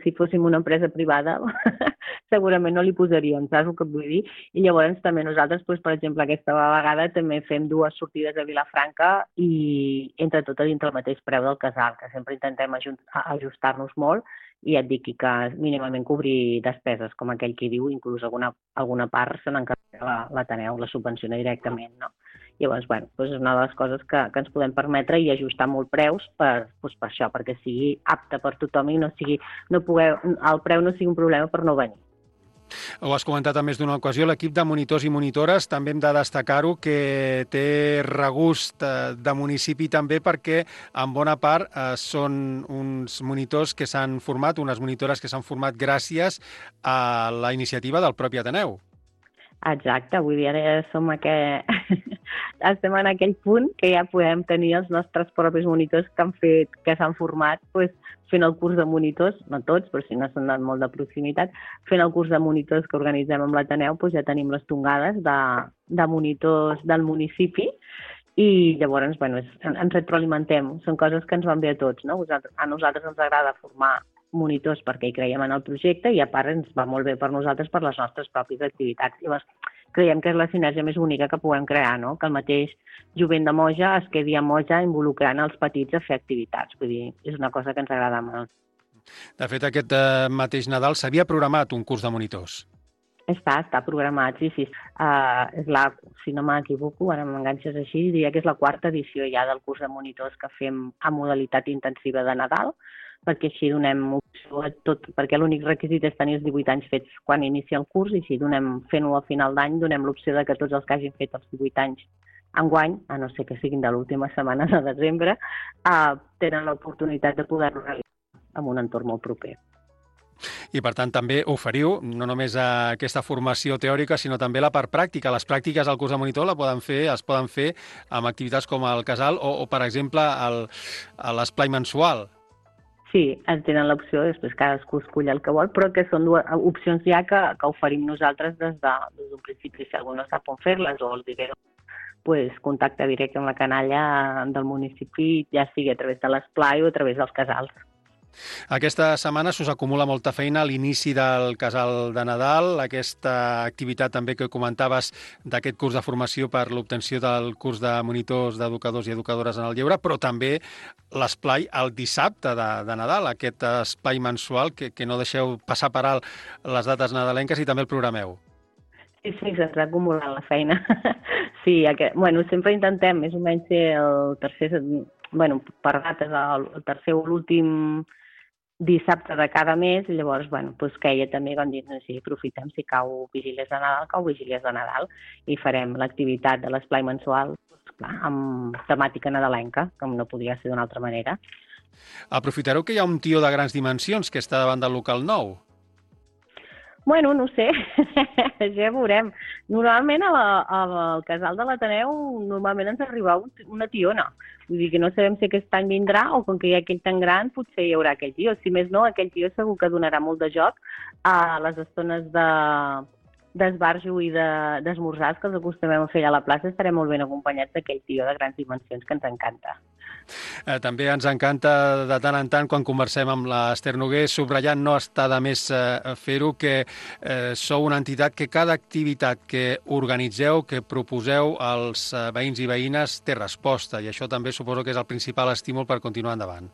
si fóssim una empresa privada, segurament no li posaríem, saps el que vull dir? I llavors també nosaltres, doncs, per exemple, aquesta vegada també fem dues sortides a Vilafranca i entre tot a dintre el mateix preu del casal, que sempre intentem ajustar-nos molt i et dic que mínimament cobrir despeses, com aquell qui diu, inclús alguna, alguna part se n'encarrega l'Ateneu, la subvenciona directament, no? Llavors, bueno, doncs és una de les coses que, que ens podem permetre i ajustar molt preus per, doncs per això, perquè sigui apte per tothom i no sigui, no poder, el preu no sigui un problema per no venir. Ho has comentat a més d'una ocasió, l'equip de monitors i monitores també hem de destacar-ho que té regust de municipi també perquè en bona part eh, són uns monitors que s'han format, unes monitores que s'han format gràcies a la iniciativa del propi Ateneu. Exacte, vull dir, ara som aquell... estem en aquell punt que ja podem tenir els nostres propis monitors que han fet, que s'han format pues, fent el curs de monitors, no tots, però si no s'han dat molt de proximitat, fent el curs de monitors que organitzem amb l'Ateneu, pues, ja tenim les tongades de, de monitors del municipi i llavors bueno, és, ens retroalimentem, són coses que ens van bé a tots, no? A nosaltres ens agrada formar monitors perquè hi creiem en el projecte i a part ens va molt bé per nosaltres per les nostres pròpies activitats. Llavors, creiem que és la sinergia més única que puguem crear, no? Que el mateix jovent de Moja es quedi a Moja involucrant els petits a fer activitats. Vull dir, és una cosa que ens agrada molt. De fet, aquest eh, mateix Nadal s'havia programat un curs de monitors. Està, està programat, sí, sí. Uh, és la, si no m'equivoco, ara m'enganxes així, diria que és la quarta edició ja del curs de monitors que fem a modalitat intensiva de Nadal, perquè així donem opció a tot, perquè l'únic requisit és tenir els divuit anys fets quan inicia el curs i si donem, fent-ho al final d'any, donem l'opció de que tots els que hagin fet els divuit anys enguany, a no ser que siguin de l'última setmana de desembre, uh, tenen l'oportunitat de poder-ho realitzar en un entorn molt proper. I, per tant, també oferiu no només aquesta formació teòrica, sinó també la part pràctica. Les pràctiques al curs de monitor la poden fer, es poden fer amb activitats com el casal o, o per exemple, l'esplai mensual. Sí, en tenen l'opció, després cadascú escull el que vol, però que són dues opcions ja que, que oferim nosaltres des d'un de, des principi. Si algú no sap on fer-les o els diré, pues, contacte directe amb la canalla del municipi, ja sigui a través de l'esplai o a través dels casals. Aquesta setmana s'us acumula molta feina a l'inici del casal de Nadal, aquesta activitat també que comentaves d'aquest curs de formació per l'obtenció del curs de monitors, d'educadors i educadores en el lleure, però també l'esplai el dissabte de, de Nadal, aquest esplai mensual que, que no deixeu passar per alt les dates nadalenques i també el programeu. Sí, sí, se'ns ha acumulat la feina. Sí, aquest, bueno, sempre intentem més o menys ser el tercer, bueno, per dates, el, el tercer o l'últim dissabte de cada mes, i llavors, bueno, doncs queia també, com dir, no sé, aprofitem si cau vigílies de Nadal, cau vigílies de Nadal, i farem l'activitat de l'esplai mensual, doncs, clar, amb temàtica nadalenca, com no podria ser d'una altra manera. Aprofitareu que hi ha un tió de grans dimensions que està davant del local nou? Bueno, no sé, ja veurem. Normalment a la, a la, al casal de l'Ateneu normalment ens arriba un, una tiona. Vull dir que no sabem si aquest any vindrà o com que hi ha aquell tan gran potser hi haurà aquell tió. Si més no, aquell tió segur que donarà molt de joc a les estones de d'esbarjo i d'esmorzars que els acostumem a fer allà a la plaça. Estarem molt ben acompanyats d'aquell tió de grans dimensions que ens encanta. Eh, també ens encanta de tant en tant quan conversem amb l'Ester Noguer, subratllant no està de més eh, fer-ho, que eh, sou una entitat que cada activitat que organitzeu, que proposeu als eh, veïns i veïnes té resposta i això també suposo que és el principal estímul per continuar endavant.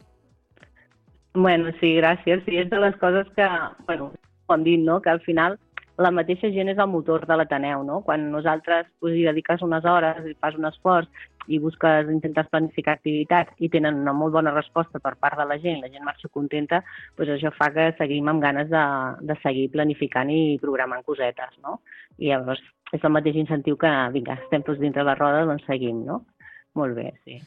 Bueno, sí, gràcies. Sí, és de les coses que, bueno, com dit, no?, que al final la mateixa gent és el motor de l'Ateneu, no? Quan nosaltres pues, hi dediques unes hores i fas un esforç i busques, intentes planificar activitats i tenen una molt bona resposta per part de la gent, la gent marxa contenta, doncs això fa que seguim amb ganes de, de seguir planificant i programant cosetes, no? I llavors és el mateix incentiu que, vinga, estem tots dintre la roda, doncs seguim, no? Molt bé, sí.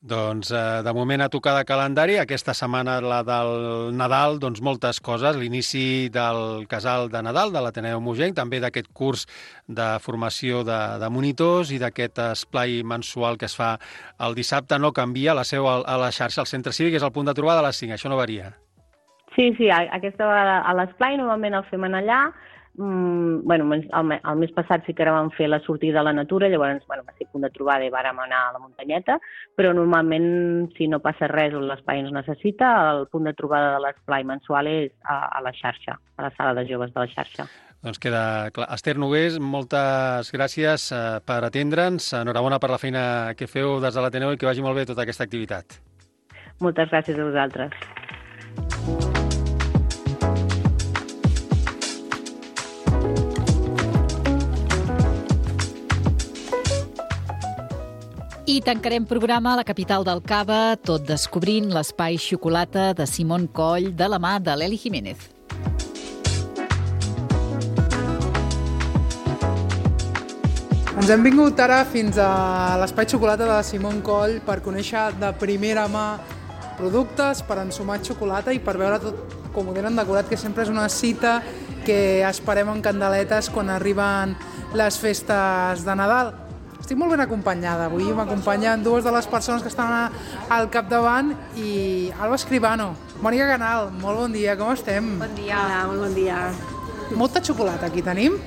Doncs, eh, de moment, a tocar de calendari, aquesta setmana, la del Nadal, doncs moltes coses. L'inici del casal de Nadal, de l'Ateneu Mogenc, també d'aquest curs de formació de, de monitors i d'aquest esplai mensual que es fa el dissabte. No canvia la seu a, a la xarxa. El centre cívic és el punt de trobada a les cinc, això no varia. Sí, sí, aquesta vegada a l'esplai normalment el fem allà. mm, bueno, el, el mes passat sí que ara vam fer la sortida a la natura, llavors bueno, va ser punt de trobada i vàrem anar a la muntanyeta, però normalment, si no passa res o l'espai ens necessita, el punt de trobada de l'esplai mensual és a, a la xarxa, a la sala de joves de la xarxa. Doncs queda clar. Esther Nogués, moltes gràcies eh, per atendre'ns. Enhorabona per la feina que feu des de l'Ateneu i que vagi molt bé tota aquesta activitat. Moltes gràcies a vosaltres. I tancarem programa a la capital del Cava, tot descobrint l'espai xocolata de Simón Coll de la mà de l'Eli Jiménez. Ens hem vingut ara fins a l'espai xocolata de Simón Coll per conèixer de primera mà productes, per ensumar xocolata i per veure tot com ho tenen decorat, que sempre és una cita que esperem en candeletes quan arriben les festes de Nadal. Estic molt ben acompanyada. Avui m'acompanyen dues de les persones que estan al capdavant i Alba Escribano. Mònica Canal, molt bon dia, com estem? Bon dia. Hola, molt bon dia. Molta xocolata aquí tenim.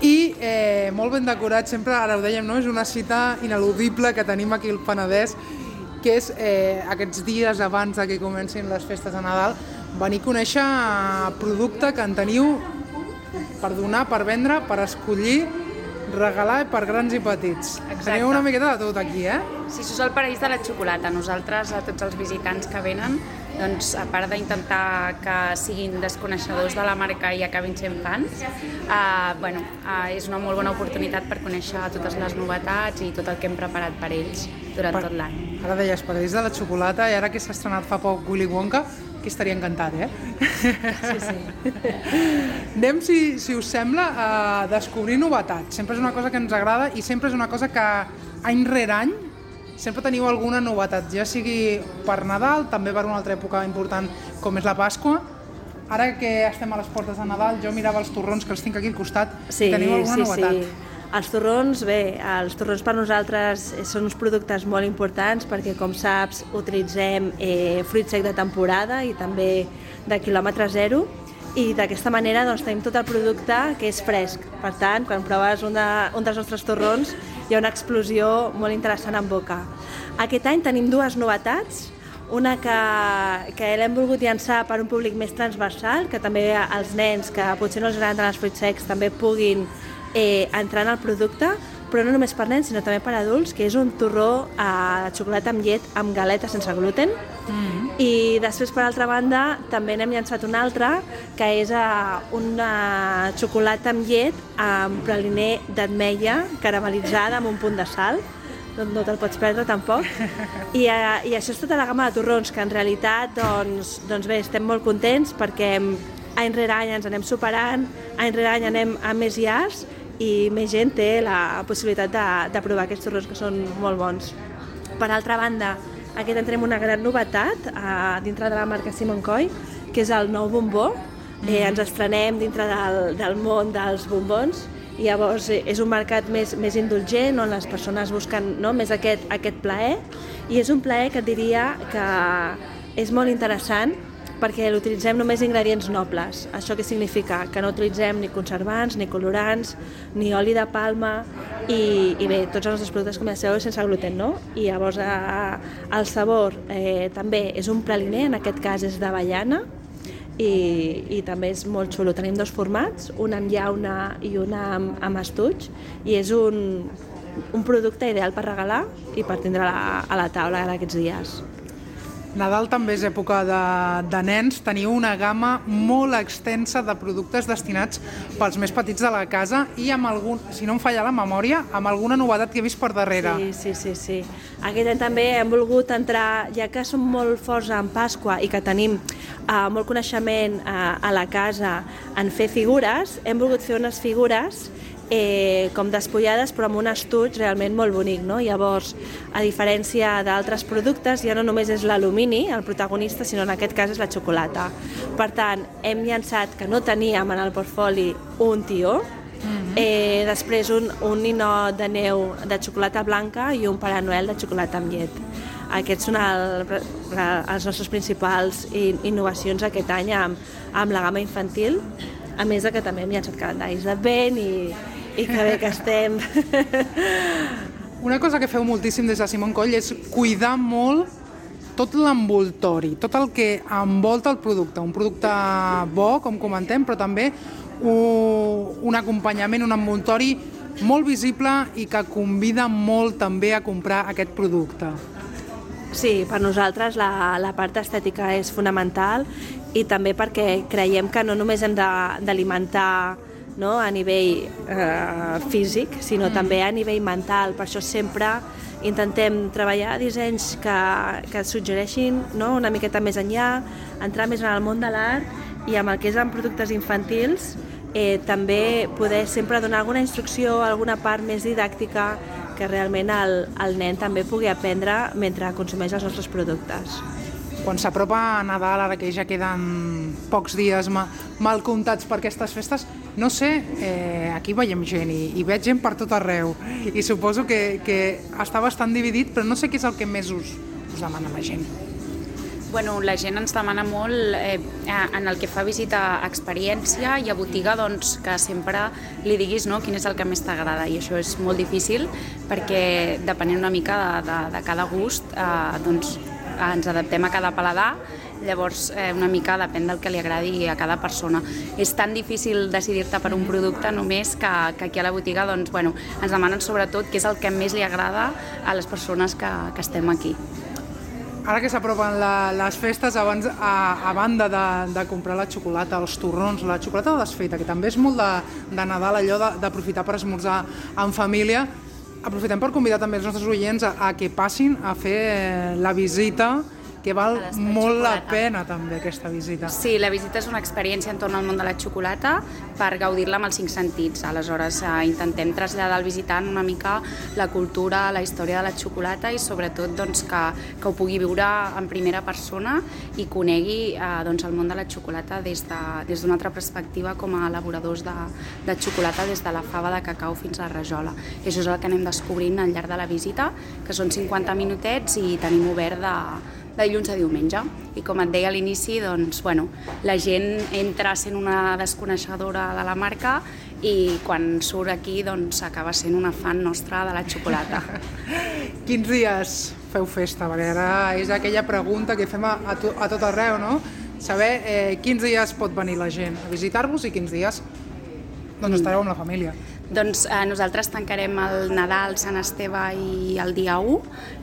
I eh, molt ben decorat, sempre, ara ho dèiem, no? És una cita ineludible que tenim aquí al Penedès, que és eh, aquests dies abans que comencin les festes de Nadal, venir a conèixer producte que en teniu per donar, per vendre, per escollir, regalar per grans i petits. Exacte. Teniu una miqueta de tot aquí, eh? Sí, això és el paraís de la xocolata. Nosaltres, a tots els visitants que venen, doncs, a part d'intentar que siguin desconeixedors de la marca i acabin sent fans, eh, bueno, eh, és una molt bona oportunitat per conèixer totes les novetats i tot el que hem preparat per ells durant per, tot l'any. Ara deies paraís de la xocolata i ara que s'ha estrenat fa poc Willy Wonka, que estaria encantat, eh? Sí, sí. Anem, si, si us sembla, a descobrir novetats. Sempre és una cosa que ens agrada i sempre és una cosa que any rere any sempre teniu alguna novetat, ja sigui per Nadal, també per una altra època important com és la Pasqua. Ara que estem a les portes de Nadal, jo mirava els torrons que els tinc aquí al costat. Sí, teniu alguna sí, novetat? Sí. Els torrons, bé, els torrons per nosaltres són uns productes molt importants perquè, com saps, utilitzem eh, fruit sec de temporada i també de quilòmetre zero, i d'aquesta manera doncs, tenim tot el producte que és fresc. Per tant, quan proves un, de, un dels nostres torrons hi ha una explosió molt interessant en boca. Aquest any tenim dues novetats, una que, que l'hem volgut llançar per un públic més transversal, que també els nens que potser no els agraden els fruits secs també puguin eh, entrar en el producte, però no només per nens, sinó també per adults, que és un torró eh, de xocolata amb llet amb galeta sense gluten. Mm-hmm. I després, per altra banda, també n'hem llançat una altra, que és uh, una xocolata amb llet amb praliner d'ametlla caramel·litzada amb un punt de sal. No, no te'l pots perdre, tampoc. I, uh, I això és tota la gamma de torrons, que en realitat, doncs, doncs bé, estem molt contents perquè any rere any ens anem superant, any rere any anem a més llars i més gent té la possibilitat de, de provar aquests torrons que són molt bons. Per altra banda, aquest any tenim una gran novetat uh, dintre de la marca Simón Coll, que és el nou bombó. Eh, ens estrenem dintre del, del món dels bombons i llavors eh, és un mercat més, més indulgent on les persones busquen, no, més aquest, aquest plaer, i és un plaer que et diria que és molt interessant perquè l'utilitzem només ingredients nobles. Això què significa? Que no utilitzem ni conservants, ni colorants, ni oli de palma i, i bé, tots els nostres productes, com ja sabeu, sense gluten, no? I llavors eh, el sabor eh, també és un praliner, en aquest cas és d'avellana, i, i també és molt xulo. Tenim dos formats, un amb llauna i un amb, amb estuig, i és un, un producte ideal per regalar i per tindre a la, a la taula d'aquests dies. Nadal també és època de, de nens. Teniu una gamma molt extensa de productes destinats pels més petits de la casa i amb algun, si no em falla la memòria, amb alguna novetat que he vist per darrere. Sí, sí, sí, sí. Aquest any també hem volgut entrar, ja que som molt forts en Pasqua i que tenim uh, molt coneixement uh, a la casa en fer figures, hem volgut fer unes figures Eh, com despullades però amb un estuig realment molt bonic, no? Llavors, a diferència d'altres productes, ja no només és l'alumini el protagonista, sinó en aquest cas és la xocolata. Per tant, hem llançat, que no teníem en el portfoli, un tió, mm-hmm. eh, després un, un ninot de neu de xocolata blanca i un Pare Noel de xocolata amb llet. Aquests són el, els nostres principals innovacions aquest any amb, amb la gamma infantil. a més de que també hem llançat calendaris d'advent i, i que bé que estem. Una cosa que feu moltíssim des de Simon Coll és cuidar molt tot l'envoltori, tot el que envolta el producte. Un producte bo, com comentem, però també un acompanyament, un envoltori molt visible i que convida molt també a comprar aquest producte. Sí, per nosaltres la, la part estètica és fonamental i també perquè creiem que no només hem d'alimentar, no, a nivell eh, físic, sinó mm. també a nivell mental. Per això sempre intentem treballar dissenys que, que suggereixin, no, una miqueta més enllà, entrar més en el món de l'art i amb el que és en productes infantils eh, també poder sempre donar alguna instrucció, alguna part més didàctica que realment el, el nen també pugui aprendre mentre consumeix els nostres productes. Quan s'apropa a Nadal, ara que ja queden pocs dies ma, mal comptats per aquestes festes, no sé, eh, aquí veiem gent i, i veig gent per tot arreu i suposo que, que està bastant dividit, però no sé què és el que més us, us demana la gent. Bueno, la gent ens demana molt eh, en el que fa visita a experiència i a botiga, doncs, que sempre li diguis, no, quin és el que més t'agrada, i això és molt difícil perquè depenent una mica de, de, de cada gust, eh, doncs, ens adaptem a cada paladar, llavors eh, una mica depèn del que li agradi a cada persona. És tan difícil decidir-te per un producte només que, que aquí a la botiga doncs, bueno, ens demanen sobretot què és el que més li agrada a les persones que, que estem aquí. Ara que s'apropen les festes, abans, a, a banda de, de comprar la xocolata, els torrons, la xocolata desfeta, que també és molt de, de Nadal, allò d'aprofitar per esmorzar en família, aprofitem per convidar també els nostres oients a, a que passin a fer la visita, que val molt la pena també aquesta visita. Sí, la visita és una experiència entorn al món de la xocolata per gaudir-la amb els cinc sentits. Aleshores eh, intentem traslladar al visitant una mica la cultura, la història de la xocolata i sobretot doncs, que, que ho pugui viure en primera persona i conegui eh, doncs, el món de la xocolata des d'una de, des altra perspectiva com a elaboradors de, de xocolata des de la fava de cacau fins a la rajola. I això és el que anem descobrint al llarg de la visita, que són cinquanta minutets i tenim obert de de dilluns a diumenge. I com et deia a l'inici, doncs, bueno, la gent entra sent una desconeixedora de la marca i quan surt aquí doncs, acaba sent una fan nostra de la xocolata. Quins dies feu festa? Perquè ara és aquella pregunta que fem a, a, to, a tot arreu, no? Saber eh, quins dies pot venir la gent a visitar-vos i quins dies doncs, estareu amb la família. Doncs eh, nosaltres tancarem el Nadal, Sant Esteve i el dia u,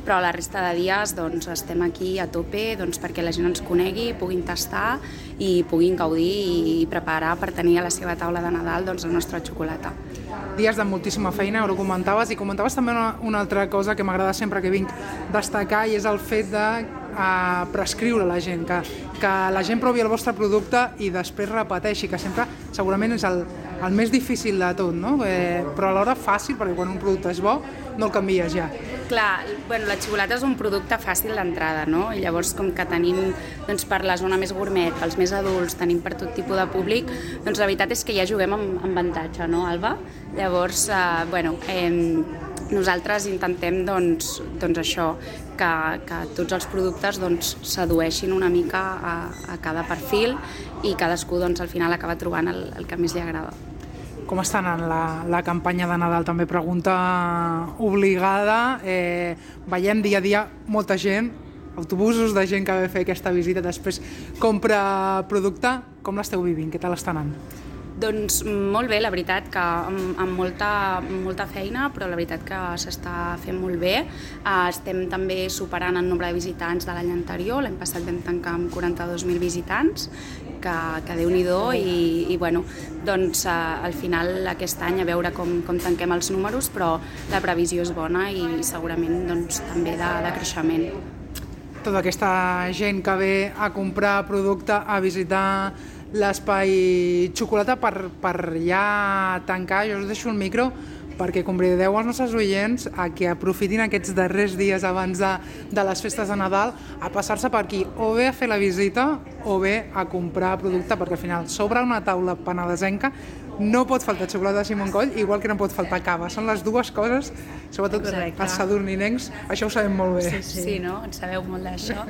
però la resta de dies doncs, estem aquí a tope doncs, perquè la gent ens conegui, puguin tastar i puguin gaudir i preparar per tenir a la seva taula de Nadal doncs, la nostra xocolata. Dies de moltíssima feina, ho comentaves, i comentaves també una, una altra cosa que m'agrada sempre que vinc destacar, i és el fet de a prescriure a la gent, que, que la gent provi el vostre producte i després repeteixi, que sempre segurament és el, el més difícil de tot, no? Eh, però alhora fàcil, perquè quan un producte és bo no el canvies ja. Clar, bueno, la xocolata és un producte fàcil d'entrada, no? I llavors, com que tenim doncs, per la zona més gourmet, pels més adults, tenim per tot tipus de públic, doncs la veritat és que ja juguem amb, amb avantatge, no, Alba? Llavors, eh, bueno, eh, nosaltres intentem, doncs, doncs això, que, que tots els productes doncs, sedueixin una mica a, a cada perfil i cadascú doncs, al final acaba trobant el, el que més li agrada. Com està anant la, la campanya de Nadal? També pregunta obligada. Eh, veiem dia a dia molta gent, autobusos de gent que ve a fer aquesta visita, després compra producte. Com l'esteu vivint? Què tal està anant? Doncs molt bé, la veritat, que amb, amb molta, molta feina, però la veritat que s'està fent molt bé. Uh, estem també superant el nombre de visitants de l'any anterior. L'any passat vam tancar amb quaranta-dos mil visitants, que, que Déu-n'hi-do, i, i bueno, doncs uh, al final aquest any a veure com, com tanquem els números, però la previsió és bona i segurament doncs, també de, de creixement. Tota aquesta gent que ve a comprar producte, a visitar l'espai xocolata, per, per ja tancar, jo us deixo el micro perquè convideu els nostres oients a que aprofitin aquests darrers dies abans de, de les festes de Nadal a passar-se per aquí, o bé a fer la visita o bé a comprar producte, perquè al final sobre una taula penedesenca no pot faltar xocolata de Simon Coll, igual que no pot faltar cava. Són les dues coses, sobretot Correcte. els sadurninencs, això ho sabem molt bé. Sí, sí. sí, no? En sabeu molt d'això.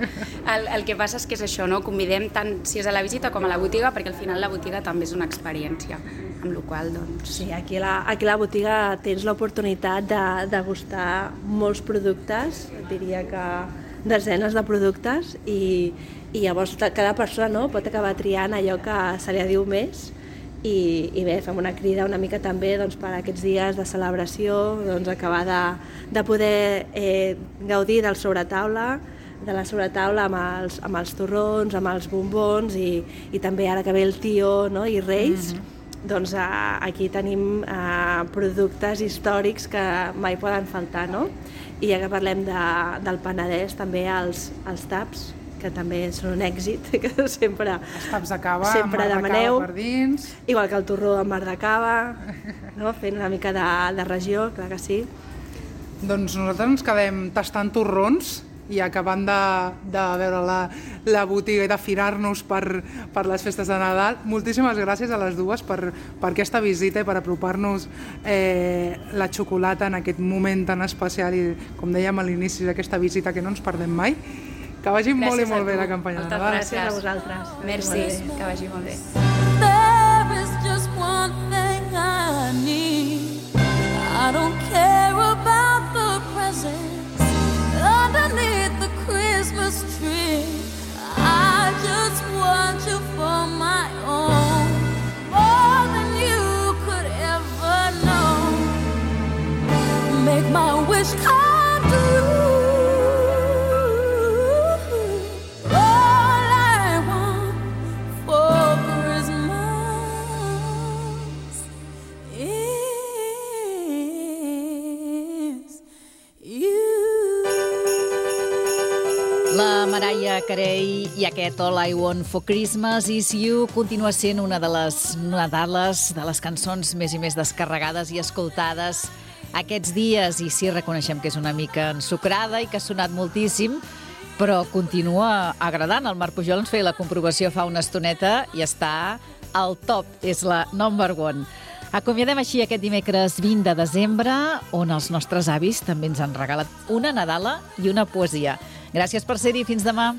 El, el que passa és que és això, no? Convidem tant si és a la visita com a la botiga, perquè al final la botiga també és una experiència, amb la qual doncs... Sí, aquí a la, aquí a la botiga tens l'oportunitat de degustar molts productes, diria que desenes de productes, i, i llavors cada persona, no, pot acabar triant allò que se li adiu més. I, i bé, fem una crida una mica també doncs, per aquests dies de celebració, doncs, acabar de, de poder eh, gaudir del sobretaula, de la sobretaula amb els, amb els torrons, amb els bombons, i, i també ara que ve el tió, no, i Reis, mm-hmm. doncs eh, aquí tenim eh, productes històrics que mai poden faltar, no? I ja que parlem de, del Penedès, també els, els taps, que també són un èxit, que sempre, els taps de cava, sempre amb mar de demaneu, cava per dins. Igual que el torró amb mar de cava, no? Fent una mica de, de regió, clar que sí. Doncs nosaltres ens quedem tastant torrons i acabant de, de veure la, la botiga i d'afinar-nos per, per les festes de Nadal. Moltíssimes gràcies a les dues per, per aquesta visita i per apropar-nos eh, la xocolata en aquest moment tan especial i, com dèiem a l'inici d'aquesta visita, que no ens perdem mai. Que vagi gràcies molt i molt bé la campanya de Nadal. Gràcies a vosaltres. Merci, que vagi molt bé. There is just one thing I need. I don't care about the presents underneath the Christmas tree. I just want you for my own, more than you could ever know. Make my wish come true. La Mariah Carey i aquest All I Want for Christmas Is You continua sent una de les Nadales, de les cançons més i més descarregades i escoltades aquests dies. I sí, reconeixem que és una mica ensucrada i que ha sonat moltíssim, però continua agradant. El Marc Pujol ens feia la comprovació fa una estoneta i està al top, és la number one. Acomiadem així aquest dimecres vint de desembre, on els nostres avis també ens han regalat una Nadala i una poesia. Gràcies per ser-hi, fins demà.